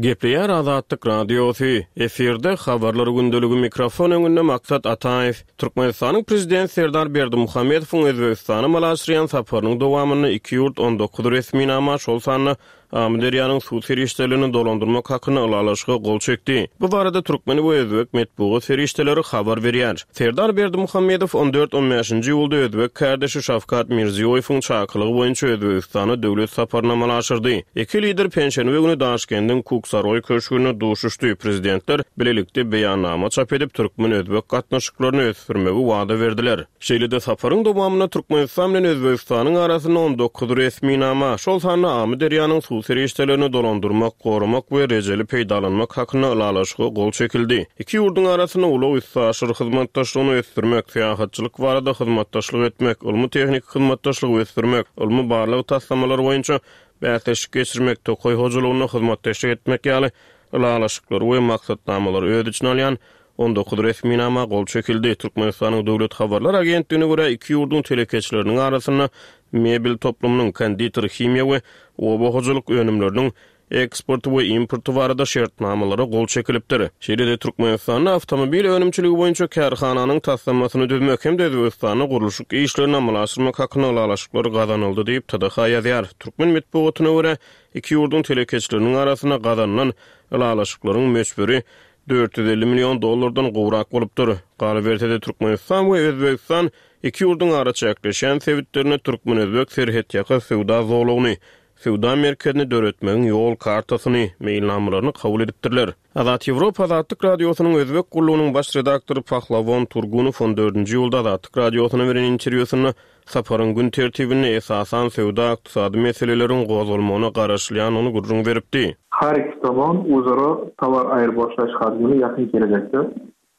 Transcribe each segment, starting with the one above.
Gepleýär Azatlyk Radiosy, efirde Habarlar gündeligi mikrofon öňünde Maksat Ataýew. Türkmenistanyň Prezidenti Serdar Berdimuhamedowyň Özbegistana amala aşyrýan saparynyň dowamynda iki ýurt 19 resminama, şol sanda Amyderýanyň suw serişdelerini dolandyrmak hakynda ylalaşyga gol çekdi. Bu barada türkmen we özbek metbugat serişdeleri habar berýär. Serdar Berdimuhamedow on dört-on bäşinji iýulda özbek kärdeşi Şawkat Mirziýoýewiň çakylygy boýunça Özbegistana döwlet saparyny amala aşyrdy. Iki lider penşenbe güni Daşkendiň Kuksaroý köşgünde duşuşdy. Prezidentler bilelikde beýannama çap edip, türkmen-özbek gatnaşyklaryny ösdürmegi wada berdiler. Şeýle-de saparyň dowamynda Türkmenistan bilen Özbegistanyň arasynda 19 resminama, şol sanda Amyderýanyň suw serişdelerini dolandyrmak, goramak we rejeli peýdalanmak hakynda ylalaşyga gol çekildi. Iki ýurduň arasynda ulag-üstaşyr hyzmatdaşlygyny ösdürmek, syýahatçylyk barada hyzmatdaşlyk etmek, ylmy-tehniki hyzmatdaşlygy ösdürmek, ylmy-barlag taslamalary boýunça bäsleşik geçirmek, tokaý hojalygynda hyzmatdaşlyk etmek ýaly ylalaşyklary we maksatnamalary öz içine alýan 19 resminama gol çekildi. Türkmenistanyň Döwlet habarlar agentligine görä, iki ýurduň telekeçileriniň arasynda mebel toplumynyň, konditer, himiýa we oba hojalyk önümleriniň eksporty we importy barada şertnamalara gol çekilipdir. Şeýle-de Türkmenistanda awtomobil önümçiligi boýunça kärhananyň taslamasyny düzmek hem-de Özbegistanda gurluşyk işlerini amala aşyrmak hakynda ylalaşyklar gazanyldy diýip, TDH ýazýar. Türkmen metbugatyna görä, iki ýurduň telekeçileriniň arasynda gazanylan ylalaşyklaryň möçberi 450 million dollardan gowrak bolupdyr. Galyberse-de, Türkmenistan we Özbegistan iki ýurduň araçäkleşýän sebitlerinde türkmen-özbek serhetýaka söwda zolagyny, söwda merkezini döretmegiň ýol kartasyny, meýilnamalaryny kabul edipdirler. Azat Ýewropa Azatlyk Radiosynyň Özbek gullugynyň baş redaktory Pahlawon Turgunow on dördünji iýulda Azatlyk Radiosyna beren interwýusynda saparyň gün tertibinde esasan söwda-ykdysady meseleleriň gozgalmagyna garaşylýandygyny gürrüň beripdi. Har iki tomon özara towar aýrybaşlaýyş hajmyny ýakyn gelejekde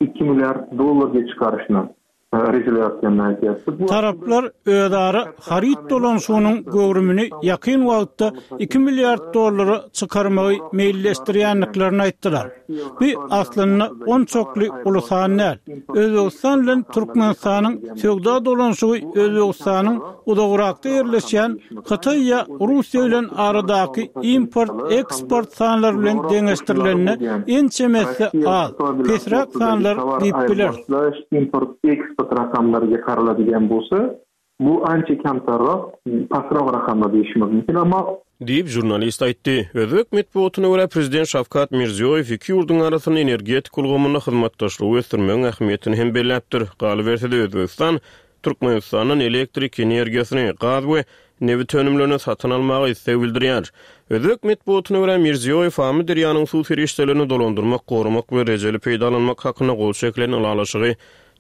iki milliard dollarga çykaryşyny rejeleyapganini aýtýapdy. Bu Taraplar özara haryt dolanyşygynyň göwrümini ýakyn wagtda iki milliard dollara çykarmagy meýilleşdirýändiklerini aýtdylar. Bu aslynda onçakly uly san däl. Özbegistan bilen Türkmenistanyň söwda dolanyşygy Özbegistanyň uzagrakda ýerleşýän Hytaý ýa Russiýa bilen aradaky import-eksport sanlary bilen deňeşdirilende ençeme esse az, pesräk sanlar diýip bileris. Import-eksport rakamlary ýokarladigan bolsa, Bu ança kemterrak, pasrak rakamlar diýişimiz mümkin, emma. Diýip, žurnalist aýtdy. Özbek metbugatyna görä, prezident Şawkat Mirziýoýew iki ýurduň arasynda energetika ulgamynda hyzmatdaşlygy ösdürmegiň ähmiýetini hem belläpdir. Galyberse-de, Özbegistan Türkmenistandan elektrik energiýasyny, gaz we nebit önümlerini satyn almaga isleg bildirýär. Özbek metbugatyna görä, Mirziýoýew Amyderýanyň suw serişdelerini dolandyrmak, goramak we rejeli peýdalanmak hakynda gol çekilen ylalaşygy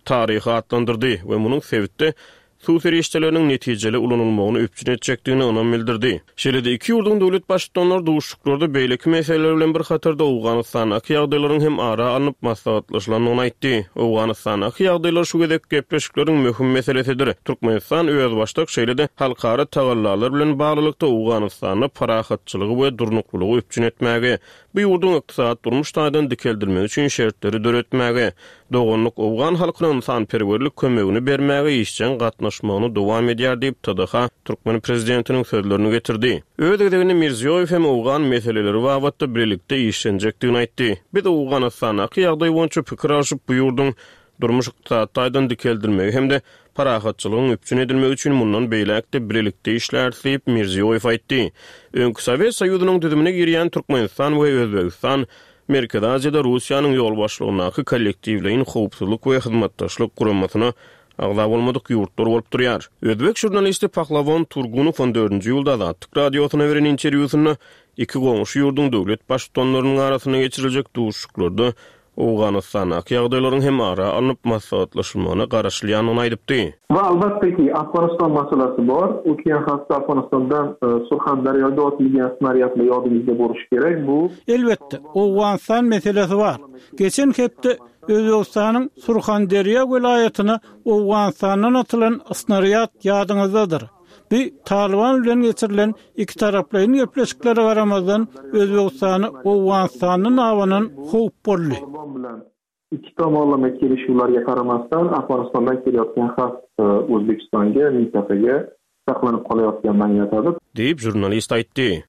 taryhy atlandyrdy we munuň sebitde suw serişdeleriniň netijeli ulanylmagyny üpjün etjekdigine ynam bildirdi. Şeýle-de iki ýurduň döwlet Baştutanlary duşuşyklarda beýleki meseleler bilen bir hatarda Owganystandaky ýagdaýlaryň hem ara alnyp maslahatlaşylandygyny aýtdy. Owganystandaky ýagdaýlar şu gezekki gepleşikleriň möhüm meselesidir. Türkmenistan özbaşdak şeýle-de halkara tagallalar bilen baglylykda Owganystanda parahatçylygy we durnuklylygy üpjün etmäge, bu ýurduň ykdysady-durmuş taýdan dikeldilmegi üçin şertleri döretmäge, doganlyk owgan halkyna ynsanperwerlik kömegini bermäge işjeň gatnaşmagyny dowam edýär diýip, TDH türkmen prezidentiniň sözlerini getirdi. Öz gezeginde Mirziýoýew hem owgan meseleleri babatda bilelikde işlenjekdigini aýtdy. Biz Owganystandaky ýagdaý boýunça pikir alşyp, bu ýurduň durmuş-ykdysady taýdan dikeldilmegi hem-de parahatçylygyň üpjün edilmegi üçin mundan beýläk-de bilelikde işläris diýip, Mirziýoýew aýtdy. Öňki Sowet Soýuzynyň düzümine girýän Türkmenistan we Özbegistan Merkezi Aziýada Russiýanyň ýolbaşçylygyndaky Kollektiwleýin howpsuzlyk we hyzmatdaşlyk guramasyna agza bolmadyk ýurtlar bolup durýar. Özbek žurnalisti Pahlawon Turgunow on dördünji iýulda Azatlyk Radiosyna beren interwýusynda iki goňşy ýurduň döwlet baştutanlarynyň arasynda geçiriljek duşuşyklarda Owganystandaky ýagdaýlaryň hem ara alnyp maslahatlaşylmagyna garaşylýandygyny aýdypdy. We albatda ki, Afganystan masalasy bor. Ötýän hafta Afganistandan Surhandarýada otylýan snarýadlar ýadymyzda boluşy gerek. Bu. Elbetde, Owganystan meselesi bar. Geçen hepde Özbegistanyň Surhanderýa welaýatyna Owganystandan atylan snarýad ýadyňyzdadyr. Bu Talyban bilen geçirilen ikitaraplaýyn gepleşiklere garamazdan, Özbegistana Owganystandan abanan howp boldy. Talyban bilen iki tomonlama kelişüwlerge garamasdan, Afganistandan kelýotgan has Özbegistanga, mintakaga saklanyp galayotgandan ýatady. Diýip, žurnalist aýtdy.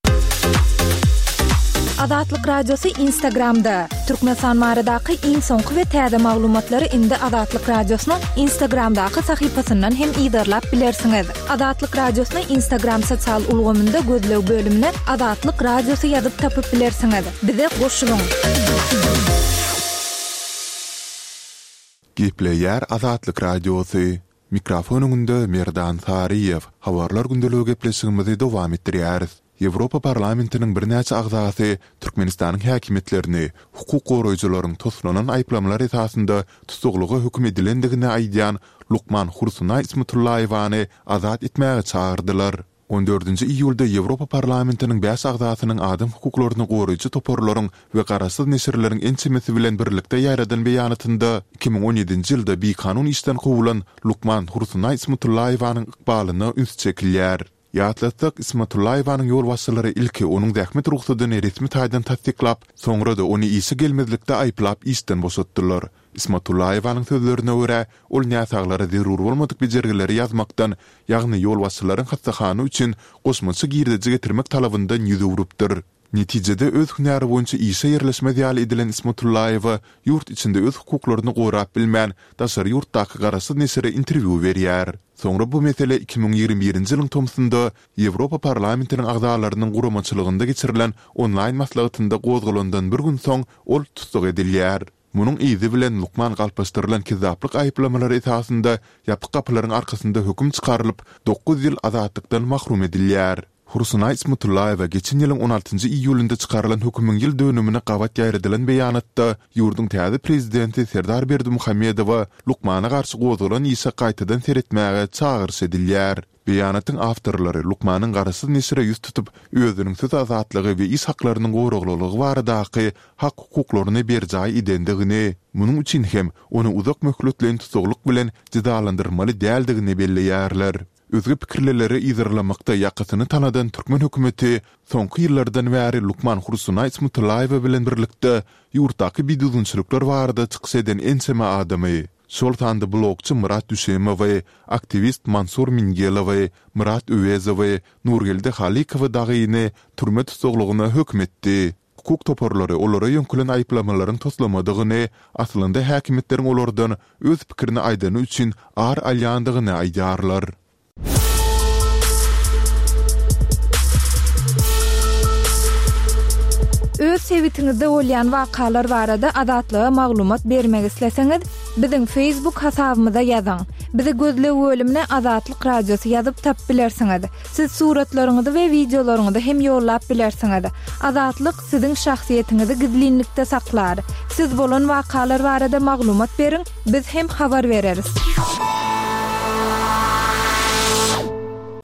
Azatlyk Radiosy Instagramda! Türkmenistan baradaky iň soňky we täze maglumatlary indi Azatlyk Radiosynyň Instagramdaky sahypasyndan hem yzarlap bilersiňiz. Azatlyk Radiosyny Instagram sosial ulgamynda gözleg bölümine Azatlyk Radiosy ýazyp tapyp bilersiňiz. Bize goşulyň! Gepleýär Azatlyk Radiosy. Mikrofon öňünde Merdan Saryýew. Habarlar gündeligi gepleşigimizi dowam etdirýäris. Ýewropa Parlamentiniň birnäçe agzasy Türkmenistanyň häkimiýetlerini hukuk goraýjylaryň toslanan aýyplamalar esasynda tussaglyga höküm edilendigini aýdýan lukman Hursunaý Ismatullaýewany azat etmäge çagyrdylar. On dördünji iýulda Ýewropa Parlamentiniň bäş agzasynyň adam hukuklaryny goraýjy toparlaryň we garaşsyz neşirleriň ençemesi bilen birlikde ýaýradan beýanatynda 2017-nji ýylda bikanun işden kowulan lukman Hursunaý Ismatullaýewanyň ykbalyna üns çekilýär. Ýatlatsak, Ismatullaýewanyň ýolbaşçylary ilki onuň zähmet rugsadyny resmi taýdan tassyklap, soňra-da ony işe gelmezlikde aýyplap işden boşatdylar. Ismatullaýewanyň sözlerine görä, ol näsaglara zerur bolmadyk bejergileri ýazmakdan, ýagny ýolbaşçylaryň hassahana üçin goşmaça girdeji getirmek talabyndan ýüz öwrüpdir. Netijede öz hünäri boýunça işe ýerleşmez ýaly edilen Ismatullaýewa ýurt içinde öz hukuklaryny gorap bilmän, daşary ýurtdaky garaşsyz neşire interwýu berýär. Soňra bu mesele 2021-nji ýylyň tomsunda Ýewropa Parlamentiniň agzalarynyň guramaçylygynda geçirilen onlaýn maslahatynda gozgalandan bir gün soň ol tussag edilýär. Munuň yzy bilen lukman galplaşdyrylan kezzaplyk aýyplamalary esasynda ýapyk gapylaryň arkasynda höküm çykarylyp, dokuz ýyl azatlykdan mahrum edilýär. Hursunaý Ismatullaýewa geçen ýylyň on altynjy iýulynda çykarylan hökümiň ýyl dönümine gabat ýaýradylan beýanatda ýurduň täze prezidenti Serdar Berdimuhamedowa lukmana garşy gozgalan işe gaýtadan seretmäge çagyryş edilýär. Beýanatyň awtorlary lukmanyň garaşsyz neşire ýüz tutup, özüniň söz azatlygy we iş haklarynyň goraglylygy baradaky hak-hukuklaryny berjaý edendigini, munuň üçin hem ony uzak möhletleýin tussaglyk bilen jezalandyrmaly däldigini belleýärler. Özge pikirlileri yzarlamakda ýakasyny tanadan türkmen hökümeti soňky ýyllardan bäri lukman Hursunaý Ismatullaýewa bilen birlikde ýurtdaky bidüzgünçilikler barada çykyş eden ençeme adamy, şol sanda blogçy Myrat Düşemowy, aktiwist Mansur Mingelowy, Myrat Öwezowy, Nurgeldi Halykowy dagyny türme tussaglygyna höküm etdi. Hukuk toparlary olara ýöňkelen aýyplamalaryň toslamadygyny, aslynda häkimiýetleriň olardan öz pikirini aýdany üçin ar alýandygyny aýdýarlar. Öz sebitiňizde bolýan wakalar barada Azatlyga maglumat bermek isleseňiz, biziň Facebook hasabymyza ýazyň. Bizi gözleg bölümine Azatlyk Radiosy ýazyp tapyp bilersiňiz. Siz suratlaryňyzy we wideolaryňyzy hem ýollap bilersiňiz. Azatlyk siziň şahsyýetiňizi gizlinlikde saklar. Siz bolan wakalar barada maglumat beriň, biz hem habar bereris.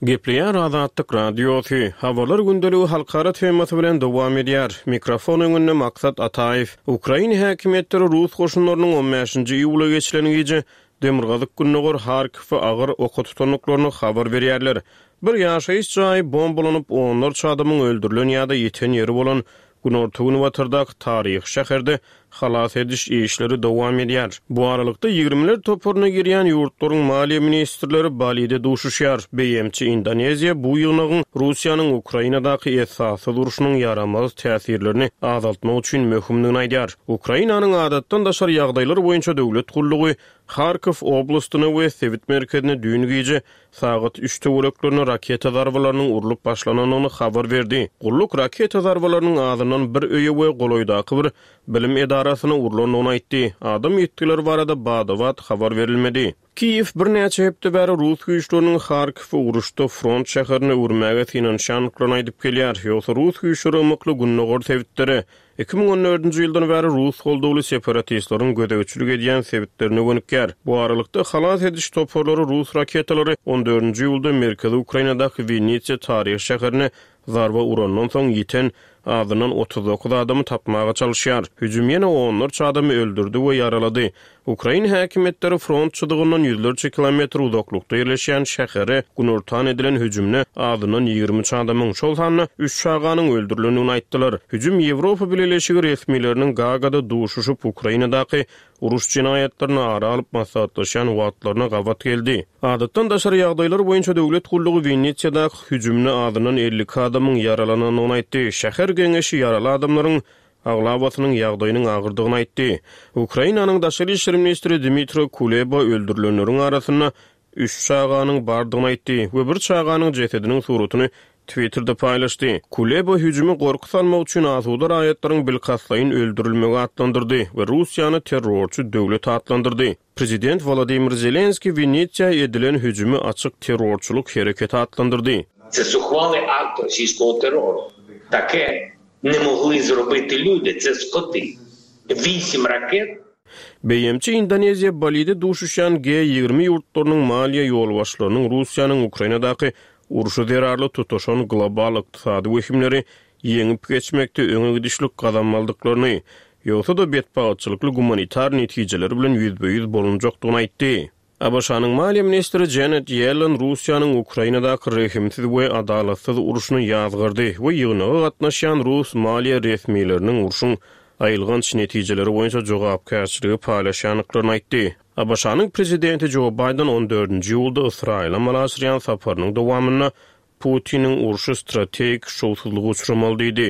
Gepleýär Azatlyk Radiosy, Habarlar gündeligi halkara temasy bilen dowam edýär. Mikrofon öňünde Maksat Ataýew. Ukraina häkimiýetleri rus goşunlarynyň on bäşinji iýula geçilen gije demirgazyk-gündogar Harkowy agyr oka tutandyklaryny habar berýärler. Bir ýaşaýyş jaýy bombalanyp, onlarça adamyň öldürilen ýa-da ýiten ýeri bolan günorta-günbatardaky taryhy şäherde halas ediş işleri dowam edýär. Bu aralykda, ýigrimiler toparyna girýän ýurtlaryň maliýe ministrleri Balide duşuşýar. BMG Indoneziýa bu ýygnagyň Russiýanyň Ukrainadaky esassyz urşunyň ýaramaz täsirlerini azaltmak üçin möhümdigini aýdýar. Ukrainanyň Adatdan daşary ýagdaýlar boýunça döwlet gullugy Harkow oblastyna we sebit merkezine düýn gije sagat üç töwereklerinde raketa zarbalarynyň urlup başlanandygyny habar berdi. Gulluk raketa zarbalarynyň azyndan bir öýe we golaýdaky bir bilim edarasyna urlandygyny aýtdy. Adam ýitgileri barada bada-bat habar berilmedi. Kiýew birnäçe hepde bäri rus güýçleriniň Harkowy uruşda front şäherine öwürmäge synanyşýandyklaryny aýdyp gelýär. Ýogsa rus güýçleri ymykly gündogar sebitlere, 2014-nji ýyldan bäri rus goldawly separatistleriň gözegçilik edýän sebitlerine gönükýär. Bu aralykda, halas ediş toparlary rus raketalary on dördünji iýulda merkezi Ukrainadaky Winnitsa taryhy şäherine Zarba urandan soň ýiten azyndan 39 adamy tapmaga çalyşýar. Hüjüm ýene onlarça adamy öldürdi we ýaralady. Ukrain häkimiýetleri front çyzygyndan ýüzlerçe kilometr uzaklykda ýerleşýän şähere günortan edilen hüjümde azyndan 23 adamyň, şol sanda üç çaganyň öldürilendigini aýtdylar. Hüjüm Ýewropa Bileleşigi resmileriniň Gagada duşuşyp, Ukrainadaky uruş jenaýatlaryny ara alyp maslahatlaşýan wagtlaryna gabat geldi. Adatdan daşary ýagdaýlar boýunça döwlet gullugy Winnitýadaky hüjümde azyndan 52 adamyň ýaralanandygyny aýtdy. Şäher. Şäher geňeşi ýaraly adamlaryň aglabasynyň ýagdaýynyň agyrdygyny aýtdy. Ukrainanyň daşary işler ministri Dmitro Kuleba öldürilenleriň arasynda üç çaganyň bardygyny aýtdy we bir çaganyň jesediniň suratyny Twitterde paýlaşdy. Kuleba hüjümi gorky salmak üçin asuda raýatlaryň bilkastlaýyn öldürilmegi atlandyrdy we Russiýany terrorçy döwlet atlandyrdy. Prezident Wolodymyr Zelenskiý Winnitsa edilen hüjümi açyk terrorçylyk hereketi atlandyrdy. Це зухвалий акт російського терору. Таке не могли зробити люди, це скоти. Вісім ракет. BMG Indoneziýa Balide duşuşýan G 20 ýurtlarynyň maliýe ýolbaşçylarynyň Russiýanyň Ukrainadaky urşy zerarly tutaşan global ykdysady wehimleri ýeňip geçmekde öňe gidişlik gazanmalydyklaryny, ýogsa-da betbagtçylykly gumanitar netijeler bilen ýüzbe-ýüz bolunjakdygyny aýtdy. ABŞ-nyň maliýe ministri Janet Ýellen Russiýanyň Ukrainadaky rehimsiz we adalatsyz urşuny ýazgardy we ýygnaga gatnaşýan rus maliýe resmileriniň urşuň aýylganç netijeleri boýunça jogapkärçiligi paýlaşýandyklaryny aýtdy. ABŞ-nyň prezidenti Jo Baýden on dördünji iýulda Ysraýyla amala aşyrýan saparynyň dowamynda Putiniň urşy strategik şowsuzlyga uçramaly diýdi.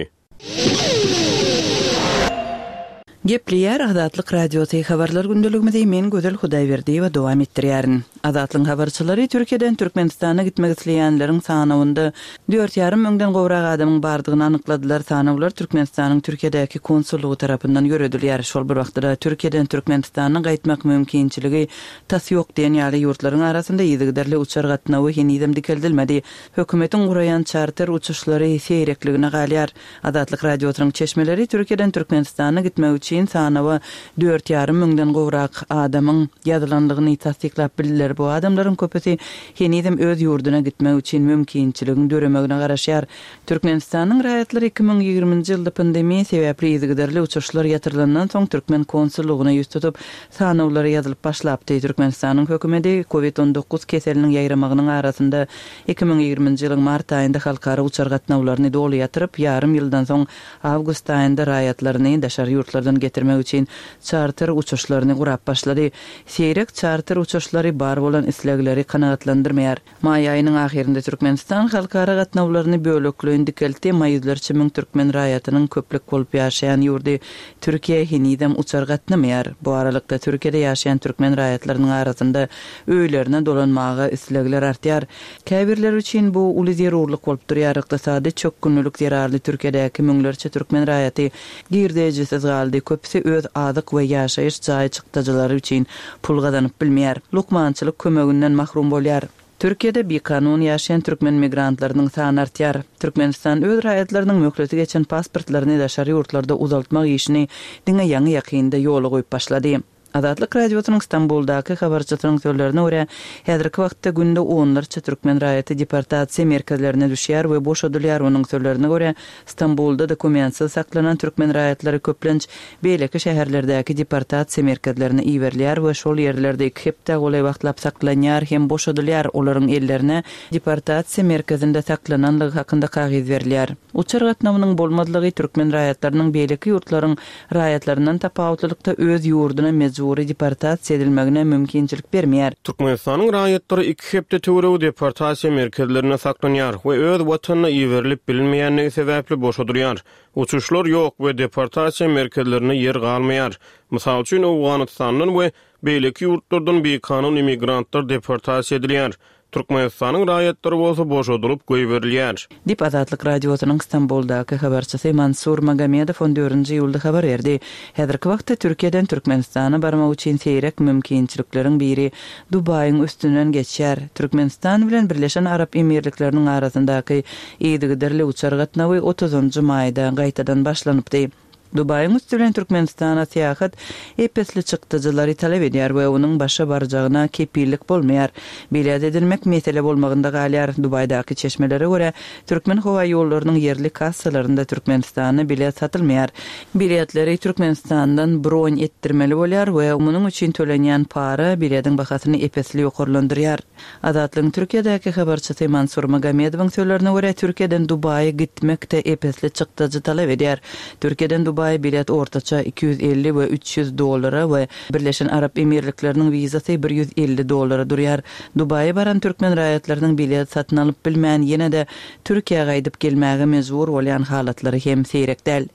Gepleýär Azatlyk Radiosy, Habarlar gündeligimizi men Gözel Hudaýberdiýewa dowam etdirýärin. Azatlygyň habarçylary Türkiýeden Türkmenistana gitmek isleýänleriň sanawynda dört ýarym müňden gowrak adamyň bardygyny anykladylar. Sanawlar Türkmenistanyň Türkiýedäki konsullygy tarapyndan ýöredilýär. Şol bir wagtda-da Türkiýeden Türkmenistana gaýtmak mümkinçiligi tas ýok diýen ýaly ýurtlaryň arasynda yzygiderli uçar gatnawy henizem dikeldilmedi. Hökümetiň guraýan çarter uçuşlary seýrekligine galýar. Azatlyk Radiosynyň çeşmeleri Türkiýeden Türkmenistana gitmek üçin sanawa dört ýarym müňden gowrak adamyň ýazylandygyny tassyklap bildiler. Bu adamlaryň köpüsi henizem öz ýurduna gitmek üçin mümkinçiligiň döremegine garaşýar. Türkmenistanyň raýatlary 2020-nji ýylda pandemiýa sebäpli yzygiderli uçuşlar ýatyrylandan soň türkmen konsullygyna ýüz tutup, sanawlara ýazylyp başlapdy. Türkmenistanyň hökümeti Covid 19 keseliniň ýaýramagynyň arasynda 2020-nji ýylyň mart aýynda halkara uçar gatnawlaryny doly ýatyryp, ýarym ýyldan soň awgust aýynda raýatlaryny daşary ýurtlardan getirmek üçin çarter uçuşlaryny gurap başlady. Seýrek çarter uçuşlary bar bolan islegleri kanagatlandyrmaýar. Maý aýynyň ahyrynda Türkmenistan halkara gatnawlaryny bölekleýin dikeltdi, emma ýüzlerçe müň türkmen raýatynyň köplük bolup ýaşaýan ýurdy Türkiýä henizem uçar gatnamaýar. Bu aralykda, Türkiýede ýaşaýan türkmen raýatlarynyň arasynda öýlerine dolanmaga islegler artýar. Käbirleri üçin bu uly zerurlyk bolup durýar. Ykdysady çökgünlilik zerarly Türkiýedäki müňlerçe türkmen raýaty girdejisiz galdy, köpüsi öz azyk we ýaşaýyş jaý çykdajylary üçin pul gazanyp bilmeýär, lukmançylyk kömeginden mahrum bolýar. Türkiýede bikanun ýaşaýan türkmen migrantlarynyň sany artýar. Türkmenistan öz raýatlarynyň möhleti geçen pasportlaryny daşary ýurtlarda uzaltmak işini diňe ýaňy-ýakynda ýola goýup başlady. Azatlyk Radiosynyň Stambuldaky habarçysynyň sözlerine görä, häzirki wagtda günde onlarça türkmen raýaty deportasiýa merkezlerine düşýär we boşadylýar. Onuň sözlerine görä, Stambulda dokumentsiz saklanan türkmen raýatlary köplenç beýleki şäherlerdäki deportasiýa merkezlerine iberilýär we şol ýerlerde iki hepdä golaý wagtlap saklanýar hem boşadylýar, olaryň ellerine deportasiýa merkezinde saklananlygy hakynda kagyz berilýär. Uçar gatnawynyň bolmazlygy türkmen raýatlarynyň beýleki ýurtlaryň raýatlaryndan tapawutlylykda öz ýurduna mejbury deportasiýa edilmegine mümkinçilik bermeýär. Türkmenistanyň raýatlary iki hepde töweregi deportasiýa merkezlerinde saklanýar we öz watanyna iberilip bilinmeýändigi sebäpli boşadylýar. Uçuşlar ýok we deportasiýa merkezlerinde ýer galmaýar. Mysal üçin, Owganystandan we beýleki ýurtlardan bikanun immigrantlar deportasiýa edilýär. Türkmenistanyň raýatlary bolsa boşadylyp goýberilýär. Diýip, Azatlyk Radiosynyň Stambuldaky habarçysy Mansur Magomedow on dördünji iýulda habar berdi. Häzirki wagtda Türkiýeden Türkmenistana barmak üçin seýrek mümkinçilikleriň biri Dubaýyň üstünden geçýär. Türkmenistan bilen Birleşen Arap Emirlikleriniň arasyndaky yzygiderli uçar gatnawy otuzynjy maýda gaýtadan başlanypdy. Dubaýyň üsti bilen Türkmenistana syýahat ep-esli çykdajylary talap edýär we onuň başa barjagyna kepillik bolmaýar. Bilet edinmek mesele bolmagynda galýar. Dubaýdaky çeşmelere görä, Türkmenhowaýollarynyň ýerli kassalarynda Türkmenistana bilet satylmaýar. Biletleri Türkmenistandan bron etdirmeli bolýar we munuň üçin tölenýän para bilediň bahasyny ep-esli ýokarlandyrýar. Azatlygyň Türkiýedäki habarçysy Mansur Magomedowyň sözlerine görä, Türkiýeden Dubaýa gitmek-de ep-esli çykdajy talap edýär. Türkiýeden Dubaýa. Dubaýa bilet ortaça 250 we 300 dollara we Birleşen Arap Emirlikleriniň wizasy 150 dollara durýar. Dubaýa baran türkmen raýatlarynyň bilet satyn alyp bilmän, ýene-de Türkiýä gaýdyp gelmäge mejbur bolýan halatlary hem seýrek däl.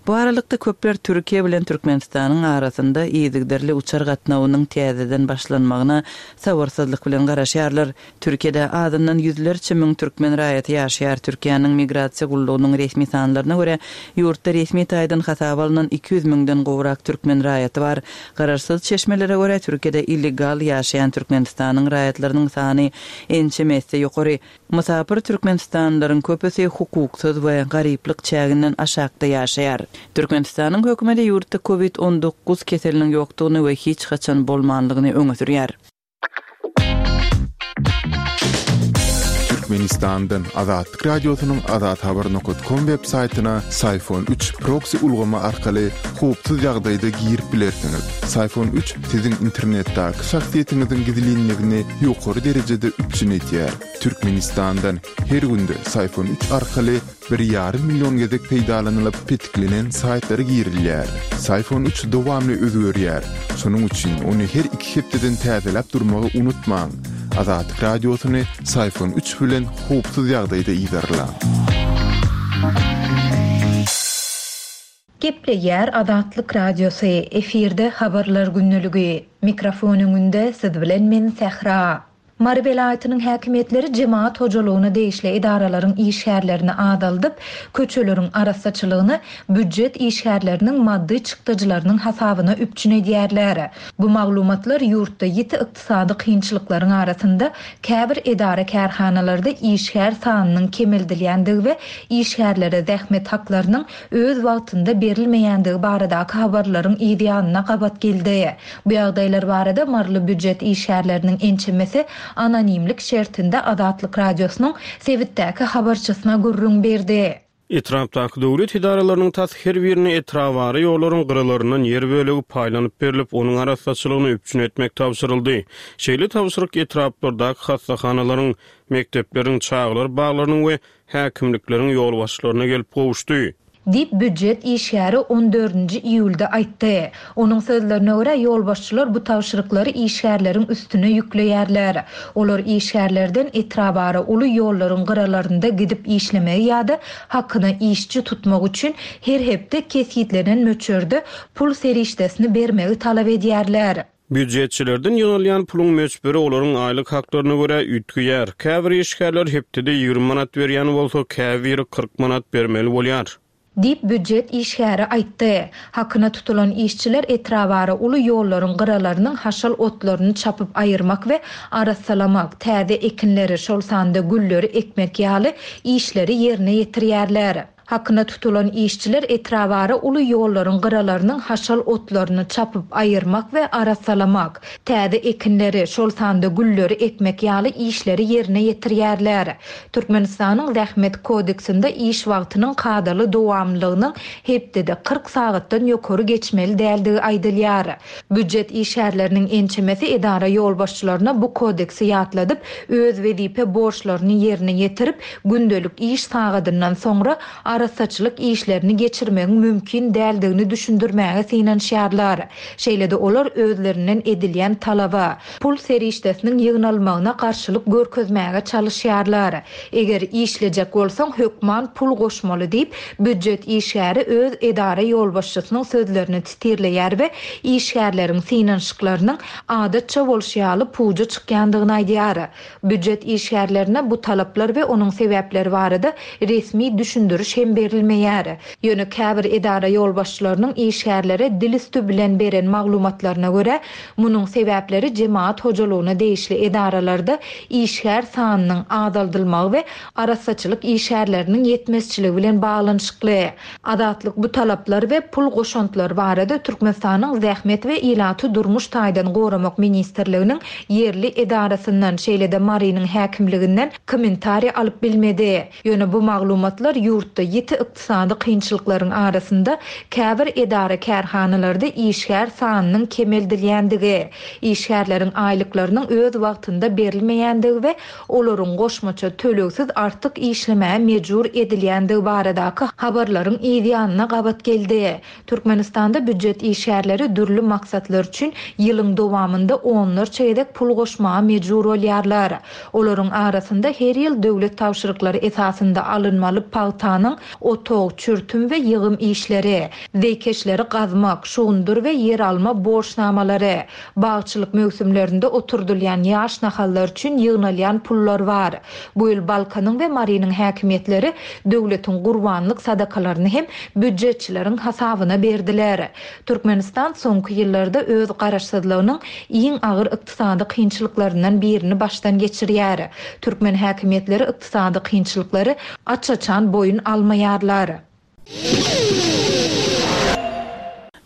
Bu aralykda, köpler Türkiýe bilen Türkmenistanyň arasynda yzygiderli uçar gatnawynyň täzeden başlanmagyna sabyrsyzlyk bilen garaşýarlar. Türkiýede azyndan ýüzlerçe müň türkmen raýaty ýaşaýar. Türkiýäniň Migrasiýa gullugynyň resmi sanlaryna görä, ýurtda resmi taýdan hasaba alnan 200 müňden gowrak türkmen raýaty bar. Garaşsyz çeşmelere görä, Türkiýede illegal ýaşaýan Türkmenistanyň raýatlarynyň sany ençeme esse ýokary. Mysapyr türkmenistanlylaryň köpüsi hukuksyz we garyplyk çäginden aşakda ýaşaýar. Türkmenistanyň hökümeti ýurtda Covid 19 keseliniň ýokdugyny we hiç haçan bolmanlygyny öňe sürýär. Türkmenistandan Azatlyk Radiosynyň Azathabar nokat kom web saýtyna Syfon 3 proksi ulgamy arkaly howpsuz ýagdaýda girip bilersiňiz. Syfon 3 siziň internetdäki şahsyýetiňiziň gizlinligini ýokary derejede üpjün edýär. Türkmenistandan her günde Syfon 3 arkaly bir ýarym million gezek peýdalanylyp petiklenen saýtlara girilýär. Syfon 3 dowamly özgerýär. Şonuň üçin ony her iki hepdeden täzeläp durmagy unutmaň. Azatlyk Radiosyny Syfon 3 bilen howpsuz ýagdaýda yzarlaň. Gepleýär Azatlyk Radiosy, efirde Habarlar gündeligi. Mikrofon öňünde siz bilen men Sähra. Mary welaýatynyň häkimiýetleri jemagat hojalygyna degişli edaralaryň işgärlerini azaldyp, köçeleriň arassaçylygyny býujet işgärleriniň maddy çykdajylarynyň hasabyna üpjün edýärler. Bu maglumatlar ýurtda ýiti ykdysady kynçylyklaryň arasynda käbir edara-kärhanalarda işgär sanynyň kemeldilýändigi we işgärlere zähmet haklarynyň öz wagtynda berilmeýändigi baradaky habarlaryň yz ýanyna gabat geldi. Bu ýagdaýlar barada maryly býujet işgärleriniň ençemesi anonimlik şertinde Azatlyk Radiosynyň sebitdäki habarçysyna gürrüň berdi. Etrapdaky döwlet edaralarynyň tas her birine etrabara ýollaryň gyralaryndan ýer bölegi paýlanyp berlip, onuň arassaçylygyny üpjün etmek tabşyryldy. Şeýle tabşyryk etraplardaky hassahanalaryň, mekdepleriň, çagalar baglarynyň we häkimlikleriň ýolbaşçylaryna gelip gowuşdy. Diýip, býujet işgäri on dördünji iýulda aýtdy. Onuň sözlerine görä, ýolbaşçylar bu tabşyryklary işgärleriň üstüne ýükleýärler. Olar işgärlerden etrabara uly ýollaryň gyralarynda gidip işlemegi ýa-da hakyna işçi tutmak üçin her hepde kesgitlenen möçberde pul serişdesini bermegi talap edýärler. Býujetçilerden ýygnalýan puluň möçberi olaryň aýlyk haklaryna görä üýtgeýär. Käbir işgärler hepdede 20 manat berýän bolsa, käbiri 40 manat bermeli bolýar. Diýip, býujet işgäri aýtdy. Hakyna tutulan işçiler etrabara uly ýollaryň gyralarynyň haşal otlaryny çapyp aýyrmak we arassalamak, täze ekinleri, şol sanda gülleri ekmek ýaly işleri ýerine ýetirýärler. Hakyna tutulan işçiler etrabara uly ýollaryň gyralarynyň haşal otlaryny çapyp aýyrmak we arassalamak, täze ekinleri, şol sanda gülleri ekmek ýaly işleri ýerine ýetirýärler. Türkmenistanyň Zähmet kodeksinde iş wagtynyň kadaly dowamlylygynyň hepdede 40 sagatdan ýokary geçmeli däldigi aýdylýar. Býujet işgärleriniň ençemesi edara ýolbaşçylaryna bu kodeksi ýatladyp, öz wezipe borçlaryny ýerine ýetirip, gündelik iş sagadyndan soňra arassaçylyk işlerini geçirmegiň mümkin däldigini düşündirmäge synanyşýarlar. Şeýle-de olar özlerinden edilýän talaba, pul serişdesiniň ýygnalmagyna garşylyk görkezmäge çalyşýarlar. Eger işlejek bolsaň, hökman pul goşmaly diýip, býujet işgäri öz edara ýolbaşçysynyň sözlerini titirleýär we işgärleriň synanyşyklarynyň adatça bolşy ýaly puja çykýandygyny aýdýar. Býujet işgärlerine bu talaplar we onuň sebäpleri barada resmi düşündiriş hem berilmeýär. Ýöne käbir edara ýolbaşçylarynyň işgärlere dil üsti bilen beren maglumatlaryna görä, munuň sebäpleri jemagat hojalygyna degişli edaralarda işgär sanynyň azaldylmagy we arassaçylyk işgärleriniň ýetmezçiligi bilen baglanyşykly. Azatlyk bu talaplar we pul goşantlary barada Türkmenistanyň Zähmet we ilaty durmuş taýdan goramak ministrliginiň ýerli edarasyndan, şeýle-de Marynyň häkimliginden kommentariý alyp bilmedi. Ýöne bu maglumatlar ýurtda. ýiti ykdysady kynçylyklaryň arasynda käbir edara-kärhanalarda işgär sanynyň kemeldilýändigi, işgärleriň aýlyklarynyň öz wagtynda berilmeýändigi we olaryň goşmaça tölegsiz artyk işlemäge mejbur edilýändigi baradaky habarlaryň yzýanyna gabat geldi. Türkmenistanda býujet işgärleri dürli maksatlar üçin ýylyň dowamynda onlarça gezek pul goşmaga mejbur bolýarlar. Olaryň arasynda her ýyl döwlet tabşyryklary esasynda alynmaly pagtanyň otag, çürtüm we ýygym işleri, zeýkeşleri gazmak, şugundyr we ýeralma borçnamalary, Bagçylyk möwsümlerinde oturdylýan ýaş nahallar üçin ýygnalýan pullar bar. Bu ýyl Balkanyň we Marynyň häkimiýetleri döwletiň gurbanlyk sadakalaryny hem býujetçileriň hasabyna berdiler. Türkmenistan soňky ýyllarda öz garaşsyzlygynyň iň agyr ykdysady kynçylyklaryndan birini başdan geçirýär. Türkmen häkimiýetleri ykdysady kynçylyklary aç-açan boýun almaýarlar.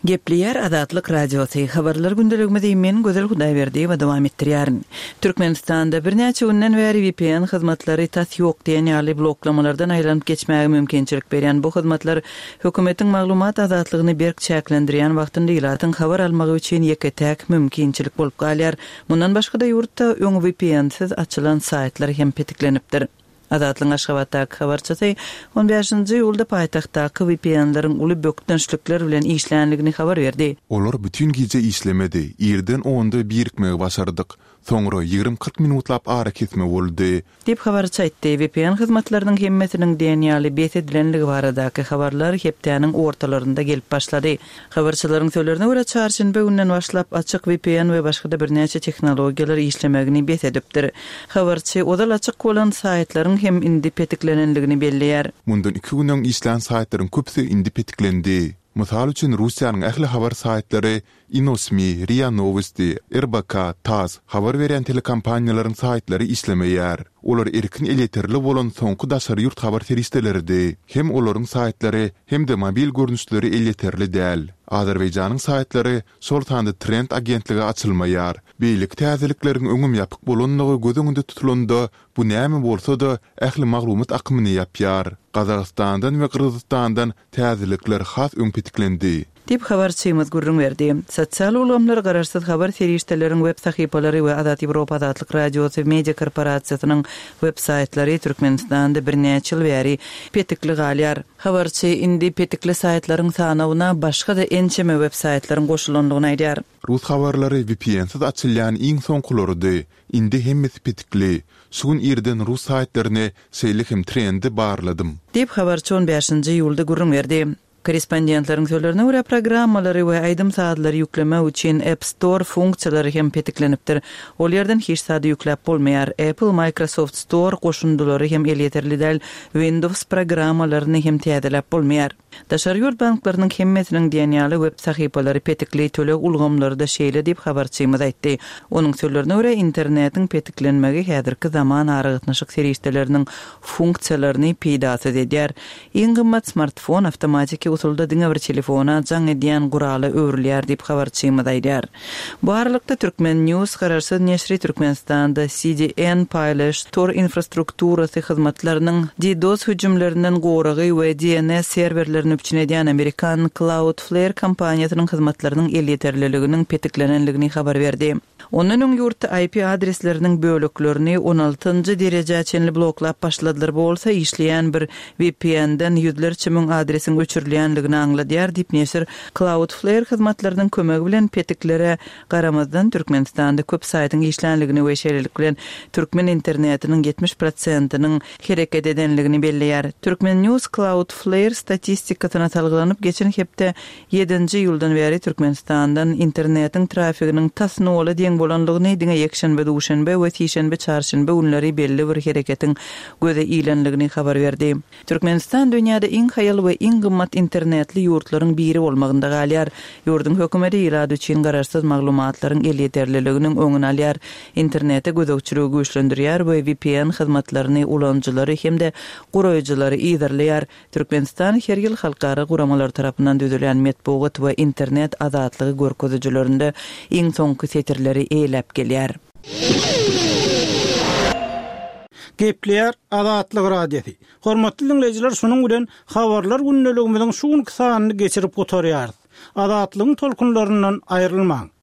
Gepleýär Azatlyk Radiosy, Habarlar gündeligimizi men Gözel Hudaýberdiýewa dowam etdirýärin. Türkmenistanda birnäçe günden bäri vpn hyzmatlary tas ýok diýen ýaly bloklamalardan aýlanyp geçmäge mümkinçilik berýän bu hyzmatlar hökümetiň maglumat azatlygyny berk çäklendirýän wagtynda ilatyň habar almagy üçin ýeke-täk mümkinçilik bolup galýar. Mundan başga-da ýurtda öň vpn-siz açylan saýtlar hem petiklenipdir. Azatlygyň Aşgabatdaky habarçysy on bäşinji iýulda paýtagtdaky VPN-leriň uly bökdençlikler bilen işländigini habar berdi. Olar bütin gije işlemedi, irden onda birikmegi başardyk. Soňra ýigrimi-kyrk minutlap arakesme boldy. Diýip, habarçy aýtdy. VPN hyzmatlarynyň hemmesiniň diýen ýaly bes edilenligi baradaky habarlar hepdäniň ortalarynda gelip başlady. Habarçylaryň sözlerine görä, çarşenbe günden başlap açyk vpn we başga-da birnäçe tehnologiýalar işlemegini bes edipdir. Habarçy ozal açyk bolan saýtlaryň hem indi petiklenenligini belleýär. Mundan iki gün öň işlän saýtlaryň köpüsi indi petiklendi. Mysal üçin, Russiýanyň ähli habar saýtlary Inosmi, Ria Nowosti, RBK, tass, habar berýän telekompaniýalaryň saýtlary işlemeýär. Olar erkin elýeterli bolan soňky daşary ýurt habar serişdeleridi. Hem olaryň saýtlary, hem-de mobil görnüşleri elýeterli däl. Azerbaýjanyň saýtlary, şol sanda Trend agentligi açylmaýar. Beýleki täzelikleriň öňem ýapyk bolanlygy göz öňünde tutulanda, bu näme bolsa-da, ähli maglumat akymyny ýapýar. Gazagystandan we Gyrgyzystandan täzelikler has öň petiklendi. Diýip, habarçymyz gürrüň berdi. Sosial ulgamlar, garaşsyz habar serişdeleriň web sahypalary we Azat Ýewropa Azatlyk Radiosy media korporasiýasynyň web saýtlary Türkmenistanda birnäçe ýyl bäri petikli galýar. Habarçy indi petikli saýtlaryň sanawyna başga-da ençeme web saýtlaryň goşulandygyny aýdýar. Rus habarlary VPN-siz açylýan iň soňkularydy. Indi hemmesi petikli. Şu gün irden rus saýtlaryny, şeýle hem Trendi barladym. Diýip, habarçy on bäşinji iýulda gürrüň berdi. Korrespondentleriň sözlerine görä, programmalary we aýdym-sazlary ýüklemek üçin App Store funksiýalary hem petiklenipdir. Ol ýerden hiç zady ýükläp bolmaýar. Apple, Microsoft Store goşundylary hem elýeterli däl, Windows programmalaryny hem täzeläp bolmaýar. Daşary ýurt banklarynyň hemmesiniň diýen ýaly web sahypalary petikli, töleg ulgamlary-da şeýle diýip, habarçymyz aýtdy. Onuň sözlerine görä, internetiň petiklenmegi häzirki zaman aragatnaşyk serişdeleriniň funksiýalaryny peýdasyz edýär. Iň gymmat smartfon awtomatiki usulda diňe bir telefona jaň edýän gurala öwrülýär diýip, habarçymyz aýdýar. Bu aralykda, Turkmen. News garaşsyz neşiri Türkmenistanda CDN paýlaýyş tor infrastrukturasy hyzmatlarynyň DDoS hüjümlerinden goragy we DNS serwerlerini üpjün edýän amerikan Cloudflare kompaniýasynyň hyzmatlarynyň elýeterliliginiň petiklenenligini habar berdi. Ondan öň ýurtda IP adresleriniň böleklerini on altynjy derejä çenli bloklap başladylar, bu bolsa işleýän bir VPN-den ýüzlerçe müň adresiň öçürilýänligini aňladýar diýip, neşir Cloudflare hyzmatlarynyň kömegi bilen petiklere garamazdan Türkmenistanda köp saýtyň işlänligini we şeýlelik bilen türkmen internetiniň 70 prosentiniň hereket edenligini belleýär. Turkmen News Cloudflare statistikasyna salgylanyp, geçen hepde Ýedinji iýuldan bäri Türkmenistandan internetiň trafiginiň tas nola deň bolanlygyny, diňe ýekşenbe-duşenbe we sişenbe-çarşenbe günleri belli bir hereketiň göze ilenligini habar berdi. Türkmenistan dünýäde iň haýal we iň gymmat internetli ýurtlaryň biri bolmagynda galýar. Ýurduň hökümeti ilat üçin garaşsyz maglumatlaryň elýeterliliginiň öňüni alýar, internete gözegçiligi güýçlendirýär we VPN hyzmatlaryny ulanyjylary hem-de guraýjylary yzarlaýar. Türkmenistan her ýyl halkara guramalar tarapyndan düzülýän metbugat we internet azatlygy görkezijilerinde iň soňky setirleri eýeläp gelýär. Gepleýär Azatlyk Radiosy. Hormatly diňleýjiler şunuň bilen Habarlar gündeligimiziň şu günki sanyny geçirip gutarýarys. Azatlygyň tolkunlaryndan aýrylmaň.